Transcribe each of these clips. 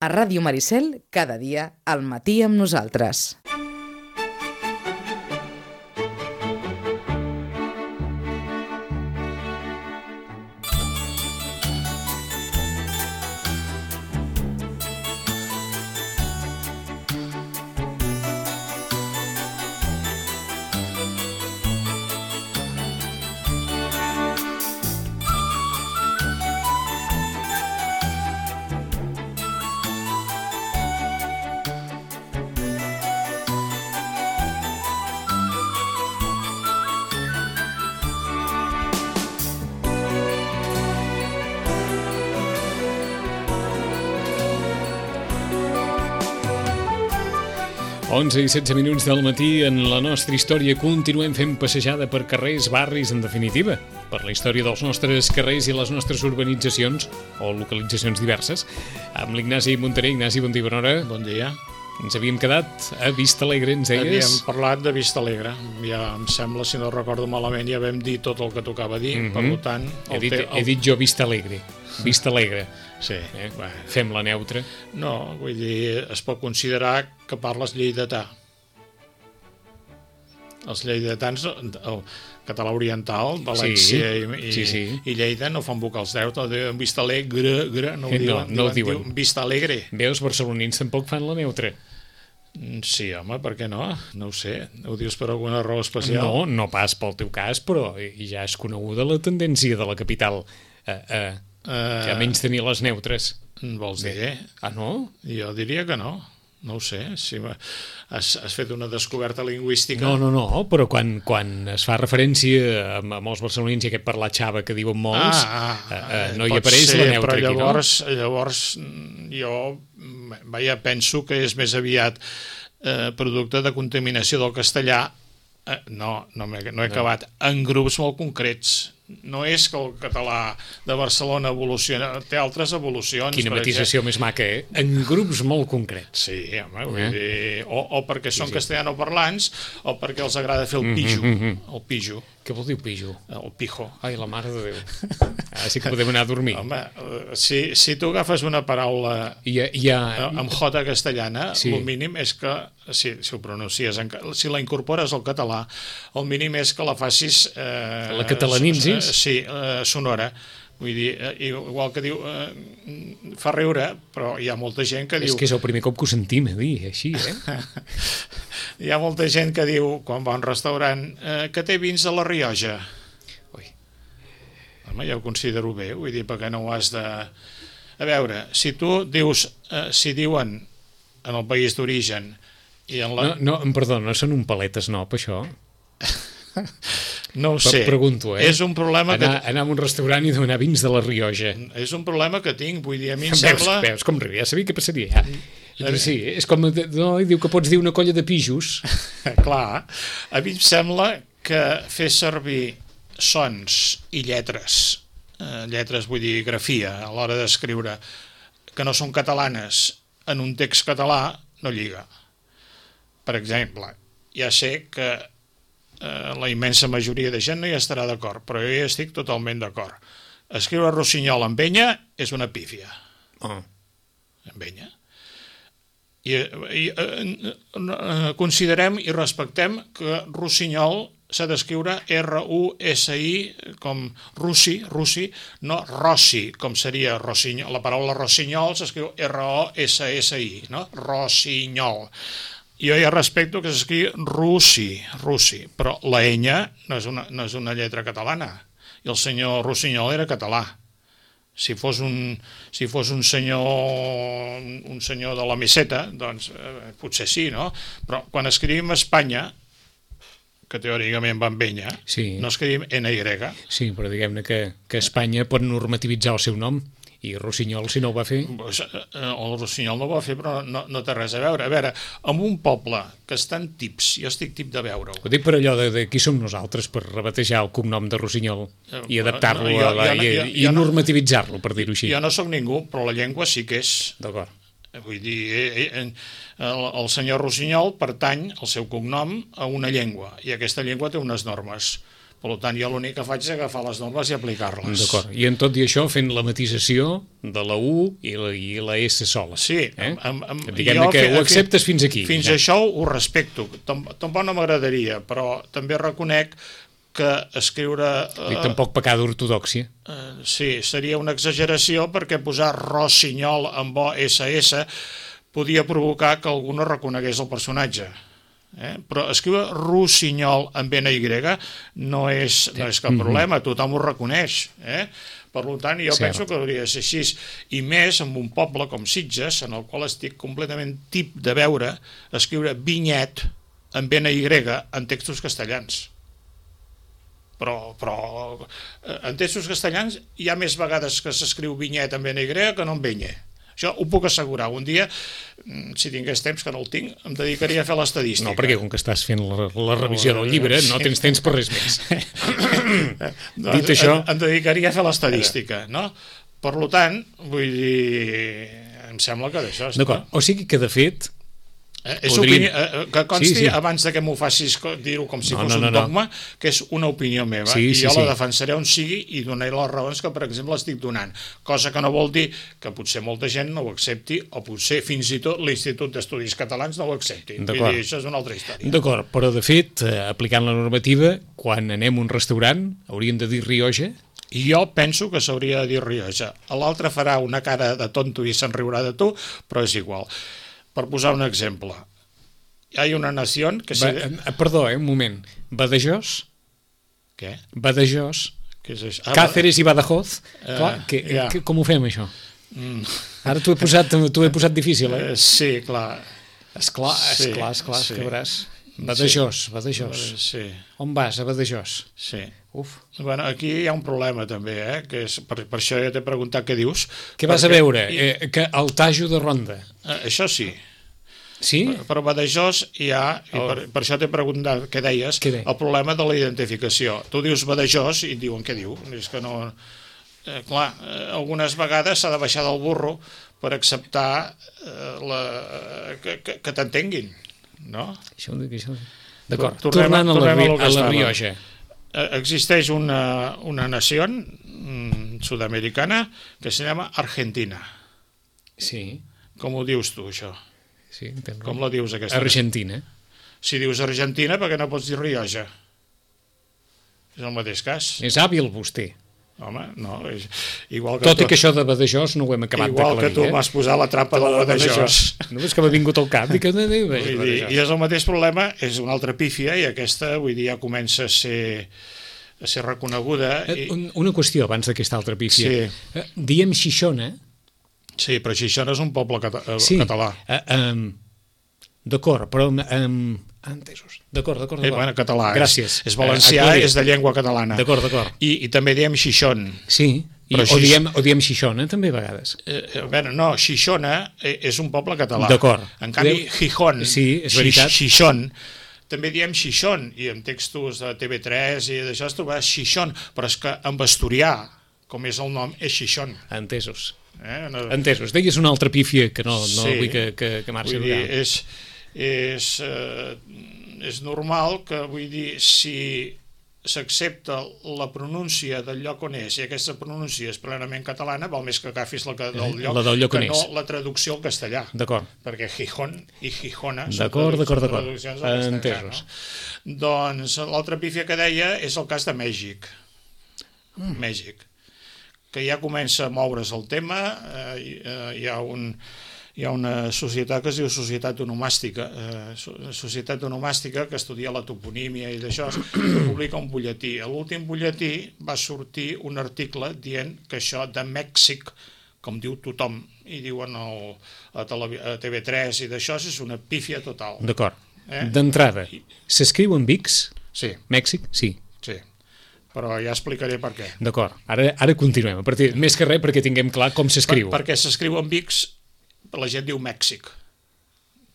A Ràdio Maricel, cada dia, al matí amb nosaltres. Onze i 16 minuts del matí. En la nostra història continuem fent passejada per carrers, barris, en definitiva, per la història dels nostres carrers i les nostres urbanitzacions o localitzacions diverses, amb l'Ignasi Montaner. Ignasi, bon dia, bona hora. Bon dia. Ens havíem quedat a Vista Alegre, ens deies? Havíem parlat de Vista Alegre. Ja em sembla, si no recordo malament, ja vam dir tot el que tocava dir. Per tant... He dit jo Vista Alegre. Vista Alegre. Sí. Fem la neutra. No, vull dir, es pot considerar que parles lleidatà. Els lleidatans, el català oriental, València i Lleida no fan vocals deutes, diuen Vista Alegre, no ho diuen. Vista Alegre. Veus, barcelonins tampoc fan la neutra. Sí, home, per què no? No ho sé. Ho dius per alguna raó especial? No pas pel teu cas, però ja és coneguda la tendència de la capital que a menys tenir les neutres. Vols dir? Ah, no? Jo diria que no. No ho sé. Si has fet una descoberta lingüística... No, però quan es fa referència a molts barcelonins i aquest parlar xava que diuen molts, no hi apareix la neutra aquí, no? Llavors jo penso que és més aviat producte de contaminació del castellà. No he acabat. En grups molt concrets. No és que el català de Barcelona evoluciona, té altres evolucions. Quina matisació més maca, eh? En grups molt concrets. Sí, home, vull dir, o perquè són castellanoparlants o perquè els agrada fer el pijo. El pijo. Què vol dir pijo? El pijo. Ai, la mare de Déu. Sí que podem anar a dormir. Home, si tu agafes una paraula amb jota castellana, el mínim és que, si ho pronuncies, si la incorpores al català, el mínim és que la facis... La catalanitzis? Sí, sonora. Vull dir, igual que diu, fa riure, però hi ha molta gent que diu... És que és el primer cop que ho sentim a dir, així, eh? Hi ha molta gent que diu, quan va a un restaurant, que té vins de la Rioja. Ui. Home, ja ho considero bé, vull dir, perquè no ho has de... A veure, si tu dius, si diuen en el país d'origen... Perdó, no són un palet esnop, això? No ho sé. Pregunto, És un problema anar a un restaurant i demanar vins de la Rioja. És un problema que tinc, vull dir, a mi em sembla... Veus com riu, ja sabia què passaria. Sí, és com... No, diu que pots dir una colla de pijos. Clar, a mi em sembla que fer servir sons i lletres, vull dir, grafia, a l'hora d'escriure, que no són catalanes en un text català, no lliga. Per exemple, ja sé que la immensa majoria de gent no hi estarà d'acord, però jo hi estic totalment d'acord. Escriure rossinyol amb enya és una pífia. Amb enya. I considerem i respectem que rossinyol s'ha d'escriure R-U-S-I, com russi, no rossi, com seria rossinyol. La paraula rossinyol s'escriu R-O-S-S-I, no? Rossinyol. Jo ja respecto que s'escriu russi, però la enya no és una lletra catalana. I el senyor Rossinyol era català. Si fos un senyor de la Meseta, doncs potser sí, no? Però quan escrivim Espanya, que teòricament va amb enya, no escrivim NY. Sí, però diguem-ne que Espanya pot normativitzar el seu nom. I Rossinyol, si no ho va fer? El Rossinyol no ho va fer, però no té res a veure. A veure, en un poble que està en tips, jo estic tip de veure-ho. Ho dic per allò de qui som nosaltres, per rebatejar el cognom de Rossinyol i adaptar-lo i normativitzar-lo, per dir-ho així. Jo no sóc ningú, però la llengua sí que és. D'acord. Vull dir, el senyor Rossinyol pertany, el seu cognom, a una llengua, i aquesta llengua té unes normes. Per tant, jo l'únic que faig és agafar les normes i aplicar-les. D'acord. I en tot i això fent la matisació de la U i la S sola. Sí. Diguem-ne que ho acceptes fins aquí. Fins això ho respecto. Tampoc no m'agradaria, però també reconec que escriure... I tampoc pecar d'ortodòxia. Sí, seria una exageració perquè posar rossinyol amb OSS podia provocar que algú no reconegués el personatge. Però escriure rossinyol amb NY no és cap problema, tothom ho reconeix. Per tant, jo penso que hauria de ser així. I més en un poble com Sitges, en el qual estic completament tip de veure escriure vinyet amb NY en textos castellans. Però en textos castellans hi ha més vegades que s'escriu vinyet amb NY que no amb vinyet. Això ho puc assegurar. Un dia, si tingués temps, que no el tinc, em dedicaria a fer l'estadística. No, perquè com que estàs fent la revisió del llibre, no tens temps per res més. Dit això... Em dedicaria a fer l'estadística, no? Per tant, vull dir... Em sembla que d'això... D'acord, o sigui que, de fet... que consti, abans que m'ho facis dir-ho com si fos un dogma, que és una opinió meva, i jo la defensaré on sigui i donaré les raons que, per exemple, estic donant, cosa que no vol dir que potser molta gent no ho accepti, o potser fins i tot l'Institut d'Estudis Catalans no ho accepti. Això és una altra història. D'acord, però de fet, aplicant la normativa, quan anem a un restaurant hauríem de dir Rioja? Jo penso que s'hauria de dir Rioja. L'altre farà una cara de tonto i se'n riurà de tu, però és igual. Per posar un exemple, hi ha una nació que... Perdó, un moment. Badajoz? Què? Badajoz? Què és això? Cáceres i Badajoz? Com ho fem, això? Ara t'ho he posat difícil, eh? Sí, clar. Esclar, que veuràs. Badajoz. Sí. On vas, a Badajoz? Sí. Uf. Bueno, aquí hi ha un problema també, que és, per això ja t'he preguntat què dius. Què vas a veure? Que el Tajo de Ronda. Això sí. Sí? Però a Badajoz hi ha, i per això t'he preguntat què deies, el problema de la identificació. Tu dius Badajoz i et diuen què diu. És que no... Clar, algunes vegades s'ha de baixar del burro per acceptar que t'entenguin, no? D'acord, tornant a la Rioja. Existeix una nació sudamericana que se llama Argentina. Sí. Com ho dius tu, això? Sí, entenc. Com la dius, aquesta? Argentina. Si dius Argentina, per què no pots dir Rioja? És el mateix cas. És hàbil vostè. Home, no, és igual que... Tot i que això de Badajoz no ho hem acabat d'aclarir. Igual que tu m'has posat la trampa del Badajoz. No és que m'ha vingut al cap. I és el mateix problema, és una altra pífia, i aquesta, vull dir, ja comença a ser reconeguda. Una qüestió abans d'aquesta altra pífia. Sí. Diem Xixona. Sí, però Xixona és un poble català. D'acord, però... Entesos. D'acord. Bueno, català. Gràcies. És valencià, és de llengua catalana. D'acord. I també diem Xixón. Sí, o diem Xixona també a vegades. No, Xixona és un poble català. D'acord. En canvi, Gijón, sí, és veritat. Xixón, també diem Xixón, i en textos de TV3 i d'això es trobarà Xixón, però és que en asturià, com és el nom, és Xixón. Entesos. Deies una altra pífia que no vull que marxi. Vull dir, és normal que, vull dir, si s'accepta la pronúncia del lloc on és i aquesta pronúncia és plenament catalana, val més que agafis la del lloc que no la traducció al castellà. D'acord. Perquè Gijón i Gijona són traduccions al castellà. No? Doncs l'altra pífia que deia és el cas de Mèxic. Mèxic. Que ja comença a moure's el tema, hi ha una societat que es diu Societat Onomàstica, que estudia la toponímia i d'això, que publica un butlletí. A l'últim butlletí va sortir un article dient que això de Mèxic, com diu tothom, i diuen a TV3 i d'això, és una pífia total. D'acord. D'entrada, s'escriu en X? Sí. Mèxic? Sí. Sí. Però ja explicaré per què. D'acord. Ara continuem. Més que res perquè tinguem clar com s'escriu. Perquè s'escriu en X, la gent diu Mèxic,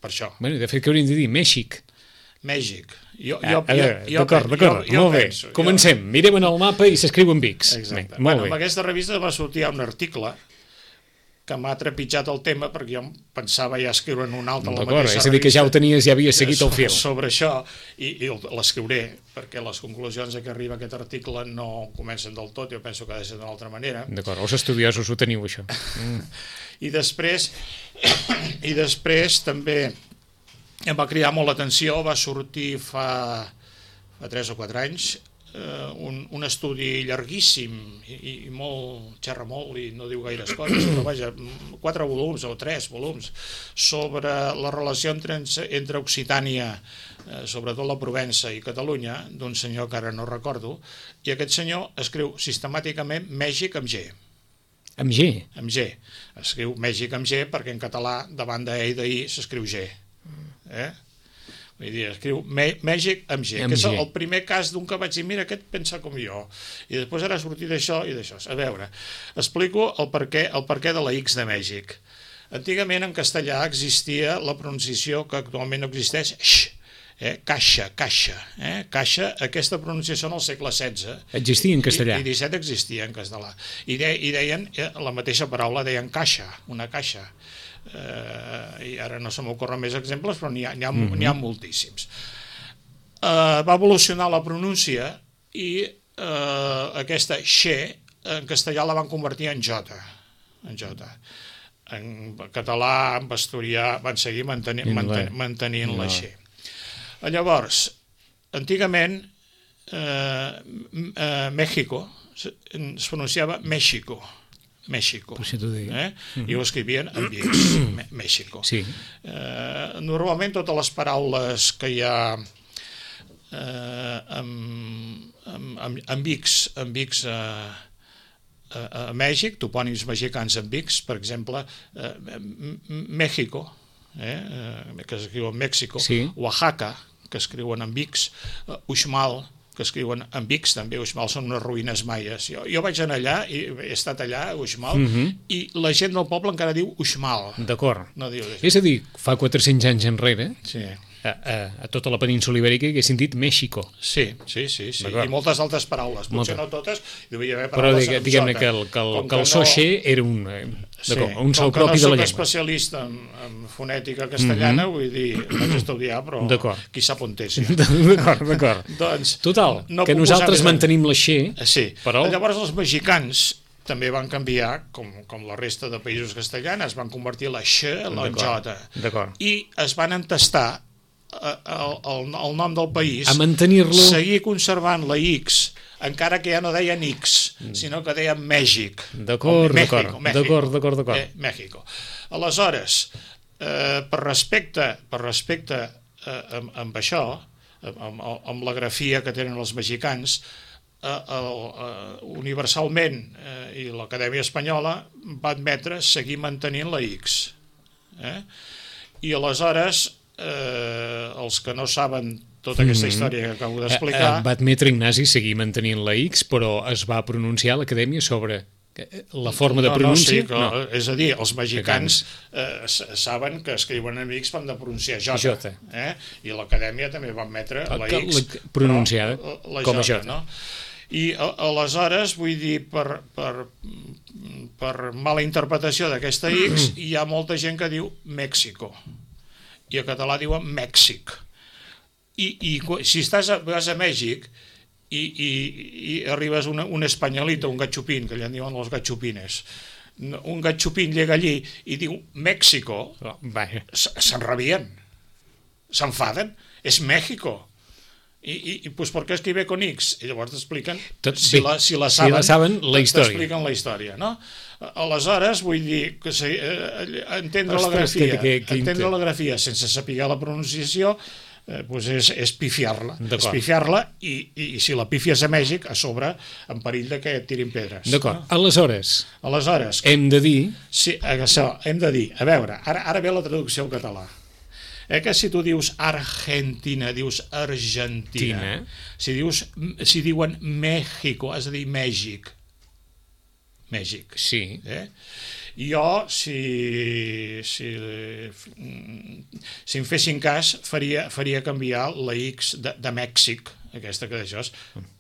per això. Bé, de fet, què hauríem de dir? Mèxic. D'acord, molt bé. Comencem. Mirem en el mapa i s'escriu en X. Exacte. En aquesta revista va sortir un article que m'ha trepitjat el tema, perquè jo pensava ja escriure en un altre, la D'acord, mateixa és a dir, que ja ho revista, tenies, ja havies seguit el fil. sobre això, i l'escriuré, perquè les conclusions a què arriba aquest article no comencen del tot, jo penso que ha de ser d'una altra manera. D'acord, els estudiosos ho teniu, això. I després també em va cridar molt l'atenció, va sortir fa 3 o 4 anys, un estudi llarguíssim i molt, xerra molt i no diu gaires coses, però vaja, 4 volums o 3 volums sobre la relació entre Occitània, sobretot la Provença i Catalunya, d'un senyor que ara no recordo, i aquest senyor escriu sistemàticament Mèxic amb G. Amb G? Amb G. Escriu Mèxic amb G perquè en català davant d'E i d'I s'escriu G. Vull dir, escriu Mèxic amb G, que és el primer cas d'un que vaig dir, mira, aquest pensa com jo. I després ara ha sortit d'això i d'això. A veure, explico el perquè de la X de Mèxic. Antigament en castellà existia la pronunciació que actualment no existeix, caixa. Caixa, aquesta pronunciació en el segle XVI. Existia en castellà. I XVII existia en castellà. I deien, la mateixa paraula, deien caixa, una caixa. I ara no se m'ocorren més exemples, però n'hi ha moltíssims. Va evolucionar la pronúncia i aquesta xe en castellà la van convertir en jota. En català, en asturià, van seguir mantenint la xe. Llavors, antigament México es pronunciava México, i ho escrivien amb X, México. Normalment totes les paraules que hi ha amb X a Mèxic, topònims mexicans amb X, per exemple, México, que s'escriu en Mèxico, Oaxaca, que escriuen amb X, Uxmal, que escriuen amb X, també Uxmal són unes ruïnes maies. Jo vaig anar allà, i he estat allà, a Uxmal, i la gent del poble encara diu Uxmal. D'acord. És a dir, fa 400 anys enrere, a tota la península ibèrica haguessin dit México. Sí. I moltes altres paraules, potser no totes, devia haver paraules amb J. Però diguem-ne que el so xe era un so propi de la llengua. Com que no soc especialista en fonètica castellana, vull dir, vaig estudiar, però qui sap on és. D'acord. Total, que nosaltres mantenim la xe, però... Llavors els mexicans també van canviar, com la resta de països castellans, van convertir la x en la j. I es van entestar el nom del país, a mantenir-lo, seguir conservant la X, encara que ja no deien X, sinó que deien Mèxic. D'acord. México. Aleshores, per respecte amb això, amb la grafia que tenen els mexicans, universalment, i l'Acadèmia Espanyola va admetre seguir mantenint la X. I aleshores els que no saben tota aquesta història que acabo d'explicar... Va admetre Ignasi seguir mantenint la X, però es va pronunciar a l'Acadèmia sobre la forma de pronúncia? És a dir, els mexicans saben que escriuen en X, van de pronunciar J. I l'Acadèmia també va admetre la X pronunciada com a J. I aleshores, vull dir, per mala interpretació d'aquesta X, hi ha molta gent que diu México, i a català diuen Mèxic. I si vas a Mèxic i arribes un espanyolito, un gatxupín, que allà en diuen els gatxupines, un gatxupín llega allí i diu México, s'enrabien, s'enfaden, és México. I pues per què escribe con X? I llavors t'expliquen, si la saben, la història. T'expliquen la història, no? Aleshores, vull dir, entendre la grafia sense saber la pronunciació és pifiar-la. És pifiar-la i si la pifies a Mèxic, a sobre, en perill que et tirin pedres. D'acord. Aleshores, hem de dir... Sí, això, hem de dir. A veure, ara ve la traducció al català. Que si tu dius Argentina, dius Argentina. Si diuen México, has de dir Mèxic. Mèxic. Sí. Jo, si em fessin cas, faria canviar la X de Mèxic, aquesta que d'això,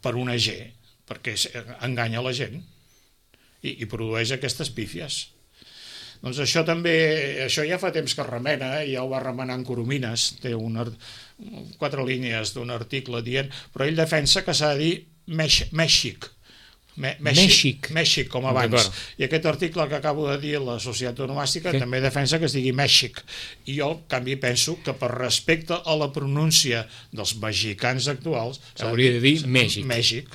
per una G, perquè enganya la gent i produeix aquestes pífies. Doncs això també, això ja fa temps que es remena, ja ho va remenar en Coromines, té 4 línies d'un article dient, però ell defensa que s'ha de dir Mèxic. Mèxic, com abans. I aquest article que acabo de dir, la Societat Onomàstica, també defensa que es digui Mèxic. I jo, en canvi, penso que per respecte a la pronúncia dels mexicans actuals s'hauria de dir Mèxic. Mèxic.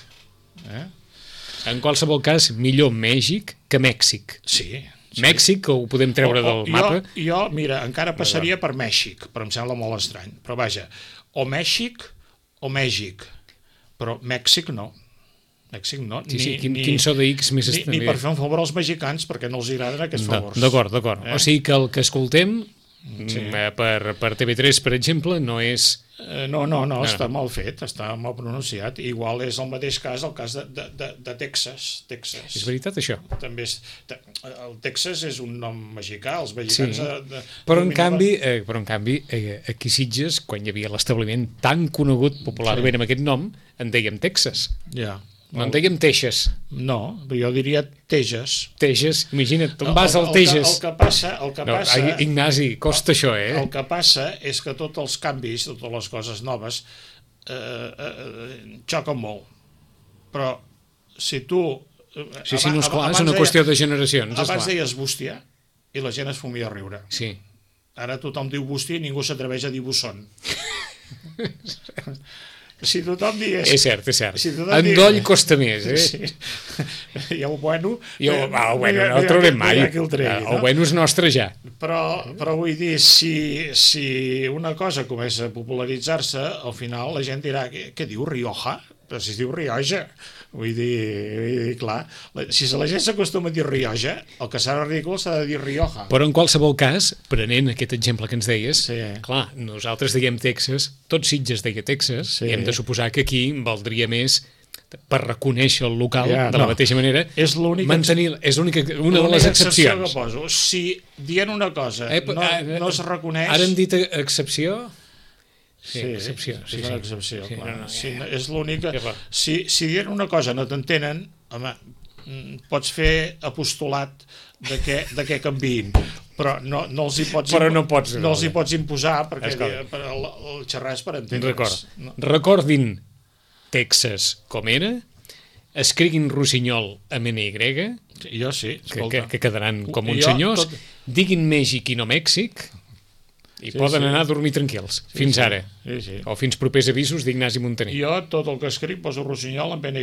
En qualsevol cas, millor Mèxic que Mèxic. Sí. Mèxic, ho podem treure del mapa. Jo, mira, encara passaria per Mèxic, però em sembla molt estrany. Però vaja, o Mèxic o Mèxic, però Mèxic no. Mèxic no. Sí, quin so de X més ni per fer un favor als mexicans, perquè no els agraden aquests favors. D'acord. O sigui que el que escoltem per TV3, per exemple, no és... No, està mal fet, està mal pronunciat. Igual és el mateix cas, el cas de Texas. És veritat, això? També el Texas és un nom mexicà, els mexicans... Però en canvi, aquí a Sitges, quan hi havia l'establiment tan conegut popularment amb aquest nom, en dèiem Texas. Ja. No en dèiem Teixes. No, jo diria Teges. Teges, imagina't, tu vas al Teges. El que passa... Ignasi, costa això, eh? El que passa és que tots els canvis, totes les coses noves, xoquen molt. Però si tu... Sí, no, esclar, és una qüestió de generacions. Abans deies bústia i la gent es fumia a riure. Sí. Ara tothom diu bústia i ningú s'atreveix a dir busson. Si tothom digués... És cert. Endoll costa més, eh? Sí. I el bueno... El bueno no el traurem mai. El bueno és nostre ja. Però vull dir, si una cosa comença a popularitzar-se, al final la gent dirà, què diu, Rioja? Però si es diu Rioja. Vull dir, clar, si la gent s'acostuma a dir Rioja, el que serà ridícul s'ha de dir Rioja. Però en qualsevol cas, prenent aquest exemple que ens deies, clar, nosaltres diguem Texas, tot Sitges deia Texas, i hem de suposar que aquí valdria més per reconèixer el local de la mateixa manera, mantenir, és una de les excepcions. Que poso. Si dient una cosa no es reconeix... Ara hem dit excepció... Sí, excepció. És una excepció. És l'única... Si dient una cosa no t'entenen, home, pots fer apostolat de què canviïn, però no els hi pots imposar, perquè el xerrar és per entendre's. Recordin Texas com era, escriguin Rossinyol amb NY, jo sí, que quedaran com uns senyors, diguin Mèxic i no Mèxic, i poden anar a dormir tranquils, fins ara. O fins propers avisos d'Ignasi Montaner. Jo tot el que escric poso Rossinyol amb NY.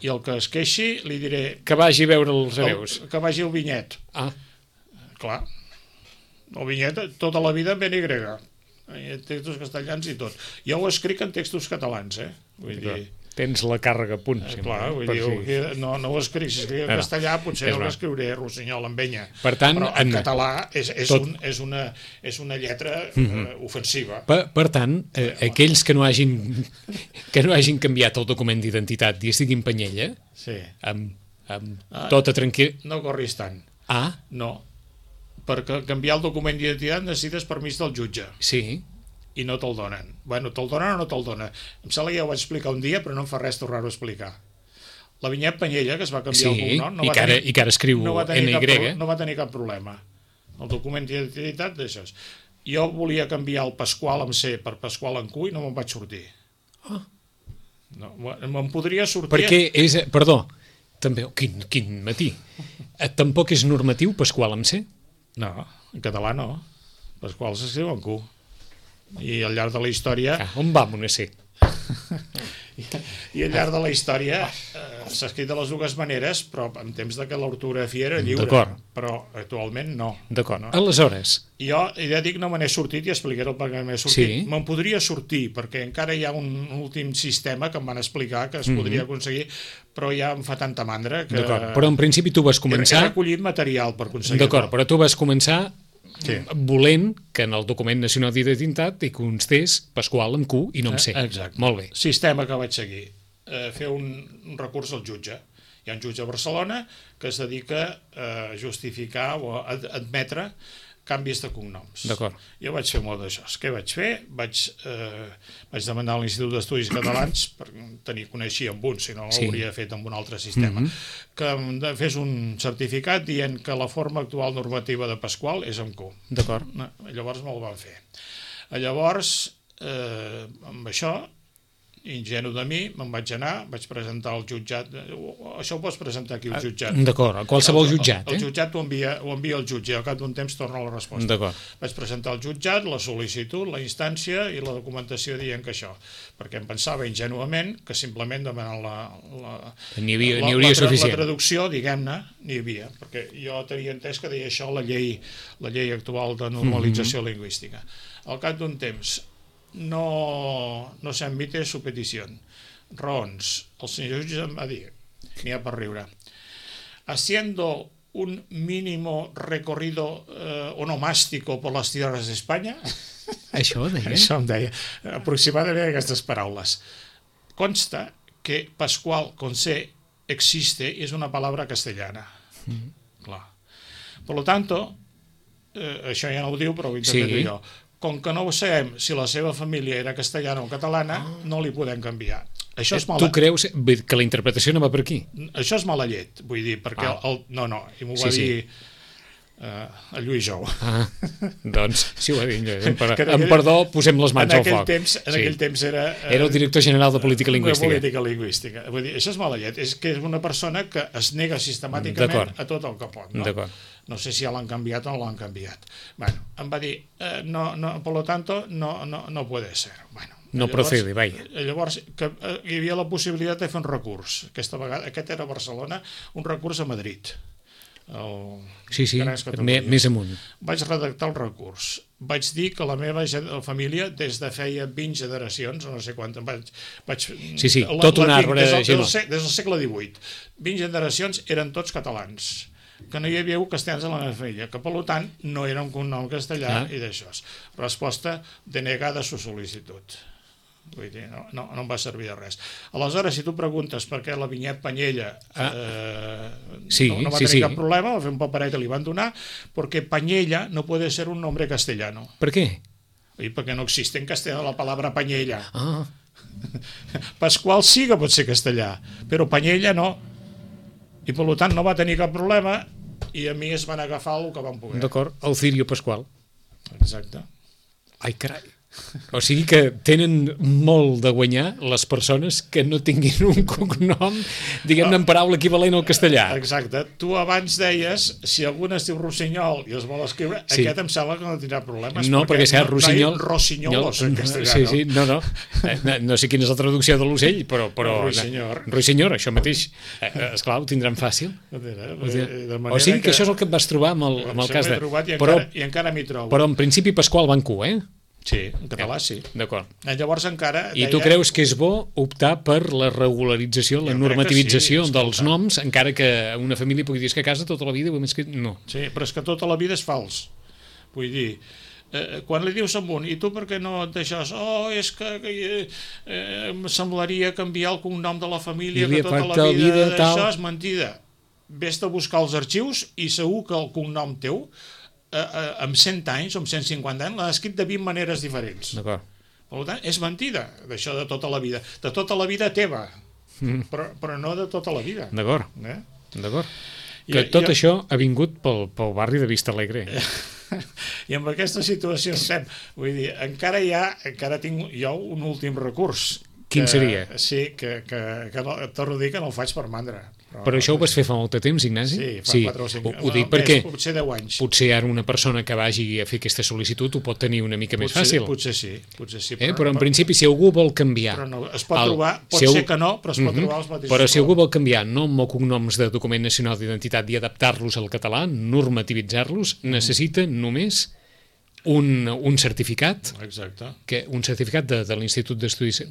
I el que es queixi li diré... Que vagi a veure els hereus. Que vagi al Vinyet. Clar. El Vinyet tota la vida amb NY. Textos castellans i tot. Jo ho escric en textos catalans, Vull dir... Tens la càrrega a punt. Clar, vull dir, no ho escric. Si escric en castellà potser ho escriuré Rossinyol amb enya. Per tant, però en català és una lletra ofensiva. Per tant, aquells que no hagin canviat el document d'identitat i estiguin Penyella, amb tota tranquil... No corris tant. No, perquè canviar el document d'identitat necessites permís del jutge. Sí. I no te'l donen. Bueno, te'l donen o no te'l donen. Em sembla que ja ho vaig explicar un dia, però no em fa res tornar-ho a explicar. La Vinyet Penyella, que es va canviar el cognom, i que ara escriu NY. No va tenir cap problema. El document d'identitat d'això. Jo volia canviar el Pasqual amb C per Pasqual amb Q i no me'n vaig sortir. No, me'n podria sortir... Perquè és... Perdó, també... Quin matí. Tampoc és normatiu Pasqual amb C? No, en català no. Pasqual s'escriu amb Q. I al llarg de la història... On vam una C? I al llarg de la història s'ha escrit de les dues maneres, però en temps que l'ortografia era lliure. D'acord. Però actualment no. D'acord. Aleshores... Jo ja dic no me n'he sortit i explicaré el per què m'he sortit. Sí. Me'n podria sortir, perquè encara hi ha un últim sistema que em van explicar que es podria aconseguir, però ja em fa tanta mandra que... D'acord, però en principi tu vas començar... He recollit material per aconseguir-ho. D'acord, però tu vas començar... volent que en el document nacional d'identitat hi constés Pasqual amb Q i no amb C. Exacte. Molt bé. Sistema que vaig seguir. Fer un recurs al jutge. Hi ha un jutge a Barcelona que es dedica a justificar o a admetre canvis de cognoms. D'acord. Jo vaig fer molt d'això. Què vaig fer? Vaig demanar a l'Institut d'Estudis Catalans, per coneixia amb un, si no l'hauria fet amb un altre sistema, que em fes un certificat dient que la forma actual normativa de Pasqual és amb Q. D'acord. Llavors no el van fer. Llavors, amb això, ingenu de mi, me'n vaig anar, vaig presentar al jutjat. Això ho pots presentar aquí al jutjat. D'acord, a qualsevol jutjat. El jutjat ho envia al jutge i al cap d'un temps torna la resposta. D'acord. Vaig presentar al jutjat la sol·licitud, la instància i la documentació dient que això, perquè em pensava ingenuament que simplement demanant hauria suficient. La traducció, diguem-ne, n'hi havia, perquè jo tenia entès que deia això la llei actual de normalització lingüística. Al cap d'un temps no se admite su petición. Raons. El senyor jutge em va dir, n'hi ha per riure, haciendo un mínimo recorrido onomástico por las tierras de España. Això deia? Això em deia, aproximadament aquestes paraules. Consta que Pascual con C existe y es una palabra castellana. Clar. Por lo tanto, això ja no ho diu, però ho interpreto jo. Com que no ho sabem si la seva família era castellana o catalana, no li podem canviar. Això és mala... Tu creus que la interpretació no va per aquí? Això és mala llet, vull dir, perquè no, i m'ho va dir el Lluís Jou. Doncs, sí ho va dir, amb perdó, posem les mans al foc. En aquell temps era... Era el director general de Política Lingüística. Política Lingüística. Vull dir, això és mala llet, és que és una persona que es nega sistemàticament a tot el que pot. No sé si ja l'han canviat o no l'han canviat. Bueno, em va dir, por lo tanto, no puede ser. Bueno, no procede, vaya. Llavors, hi havia la possibilitat de fer un recurs. Aquesta vegada, aquest era a Barcelona, un recurs a Madrid. Sí, més amunt. Vaig redactar el recurs. Vaig dir que la meva família, des de feia 20 generacions, no sé quant, Sí, tot un arbre des del segle XVIII. 20 generacions eren tots catalans, que no hi havia castellans a la meva família, que per tant no era un cognom castellà i d'això. Resposta denegada su sol·licitud. Vull dir, no em va servir de res. Aleshores, si tu preguntes per què la Vinyet Panyella no va tenir cap problema, va fer un paperet que li van donar, perquè Panyella no puede ser un nombre castellano. ¿Per qué? Perquè no existe en castellano la palabra Panyella. Pasqual sí que pot ser castellà, però Panyella no. I per tant no va tenir cap problema i a mi es van agafar el que van poder. D'acord, el Cirio Pasqual. Exacte. Ai, carai. O sigui que tenen molt de guanyar les persones que no tinguin un cognom, diguem-ne, en paraula equivalent al castellà. Exacte. Tu abans deies, si algú es diu Rossinyol i es vol escriure, aquest em sembla que no tindrà problemes. No, perquè si és Rossinyol... Rossinyol en castellà, no? No sé quina és la traducció de l'ocell, però... Rossinyol, això mateix. Esclar, ho tindran fàcil. O sigui que això és el que et vas trobar amb el cas de... I encara m'hi trobo. Però en principi Pasqual va en Q, Sí, en català sí. D'acord. Llavors encara... I tu creus que és bo optar per la regularització, la normativització dels noms, encara que una família pugui dir que a casa tota la vida ho hem escrit... No. Sí, però és que tota la vida és fals. Vull dir, quan li dius a un, i tu per què no et deixes? És que em semblaria canviar el cognom de la família, que tota la vida això és mentida. Vés a buscar els arxius i segur que el cognom teu amb 100 anys o amb 150 anys l'ha escrit de 20 maneres diferents. D'acord. Per tant, és mentida, d'això de tota la vida. De tota la vida teva, però no de tota la vida. D'acord. D'acord. Que tot això ha vingut pel barri de Vista Alegre. I amb aquesta situació estem. Vull dir, encara tinc jo un últim recurs. Quin seria? Sí, que torno a dir que no el faig per mandra. Però això ho vas fer fa molt de temps, Ignasi? Sí, fa 4 o 5 anys. Ho dic perquè potser 10 anys. Potser ara una persona que vagi a fer aquesta sol·licitud ho pot tenir una mica més fàcil. Potser sí. Però en principi, si algú vol canviar... Es pot trobar, pot ser que no, però es pot trobar els mateixos. Però si algú vol canviar nom o cognoms de document nacional d'identitat i adaptar-los al català, normativitzar-los, necessita només un certificat, un certificat de l'Institut d'Estudis,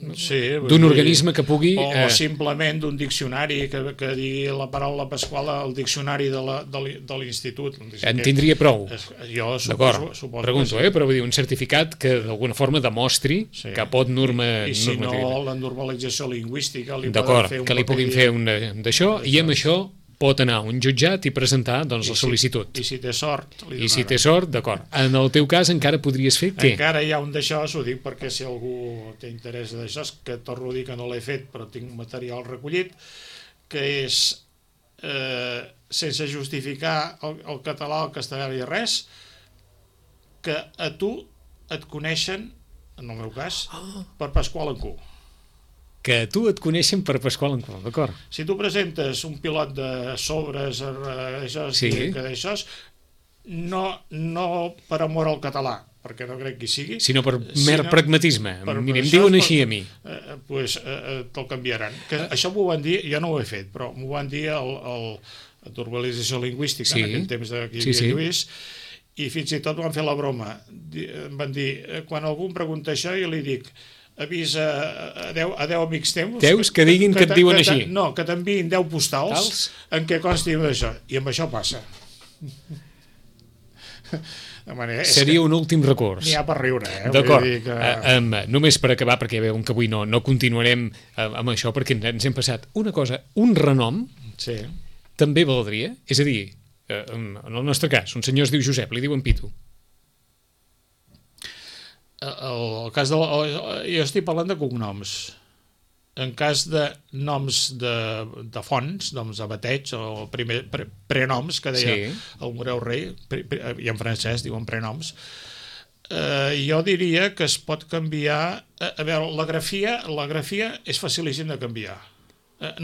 d'un organisme que pugui... O simplement d'un diccionari que digui la paraula Pasqual al diccionari de l'Institut. En tindria prou. Jo suposo. Pregunto, però vull dir, un certificat que d'alguna forma demostri que pot normativitzar. I si no, la normalització lingüística li poden fer que li puguin fer un d'això, i amb això pot anar a un jutjat i presentar doncs, la sol·licitud. I si té sort, li donaran. I si té sort, d'acord. En el teu cas encara podries fer què? Encara hi ha un d'això, ho dic perquè si algú té interès d'això, que torno a dir que no l'he fet, però tinc material recollit, que és, sense justificar el català, el castellà i res, que a tu et coneixen, en el meu cas, per Pasqual en Q. Que a tu et coneixen per Pasqual en Q, d'acord. Si tu presentes un pilot de sobres, d'això, no per amor al català, perquè no crec que hi sigui, sinó per mer pragmatisme. Mira, em diuen així a mi. Doncs te'l canviaran. Això m'ho van dir, jo no ho he fet, però m'ho van dir a Turbalització Lingüística, en aquell temps que hi havia Lluís, i fins i tot van fer la broma. Em van dir, quan algú em pregunta això, jo li dic, avisa a 10 amics teus... Teus que diguin que et diuen així. No, que t'enviïn 10 postals en què consti d'això. I amb això passa. Seria un últim recurs. N'hi ha per riure, D'acord. Només per acabar, perquè veuen que avui no continuarem amb això, perquè ens hem passat una cosa, un renom també valdria, és a dir, en el nostre cas, un senyor es diu Josep, li diuen Pitu. El cas jo estic parlant de cognoms. En cas de noms de fonts, noms de bateig o prenoms, que deia el Moreu Rei, i en francès diuen prenoms, jo diria que es pot canviar. A veure, la grafia és facilíssim de canviar.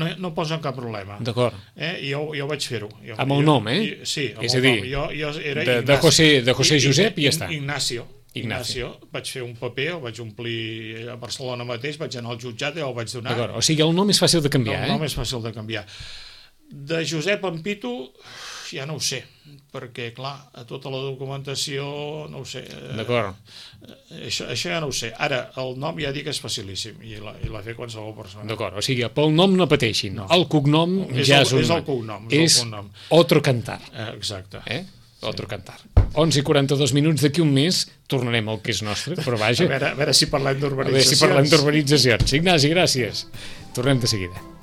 No posen cap problema. D'acord. Jo vaig fer-ho. Amb el nom, Sí, amb el nom. Jo era de José Josep i ja està. Ignacio. Vaig fer un paper, el vaig omplir a Barcelona mateix, vaig anar al jutjat i el vaig donar. D'acord, o sigui, el nom és fàcil de canviar, El nom és fàcil de canviar. De Josep en Pitu, ja no ho sé, perquè, clar, a tota la documentació, no ho sé. D'acord. Això ja no ho sé. Ara, el nom ja dic que és facilíssim, i l'ha fet qualsevol persona. D'acord, o sigui, pel nom no pateixin. El cognom ja és un... És el cognom. És Otro Cantar. Exacte. Otro Cantar. 11:42, d'aquí un mes tornarem al que és nostre, però vaja... A veure si parlem d'urbanitzacions. Ignasi, gràcies. Tornem de seguida.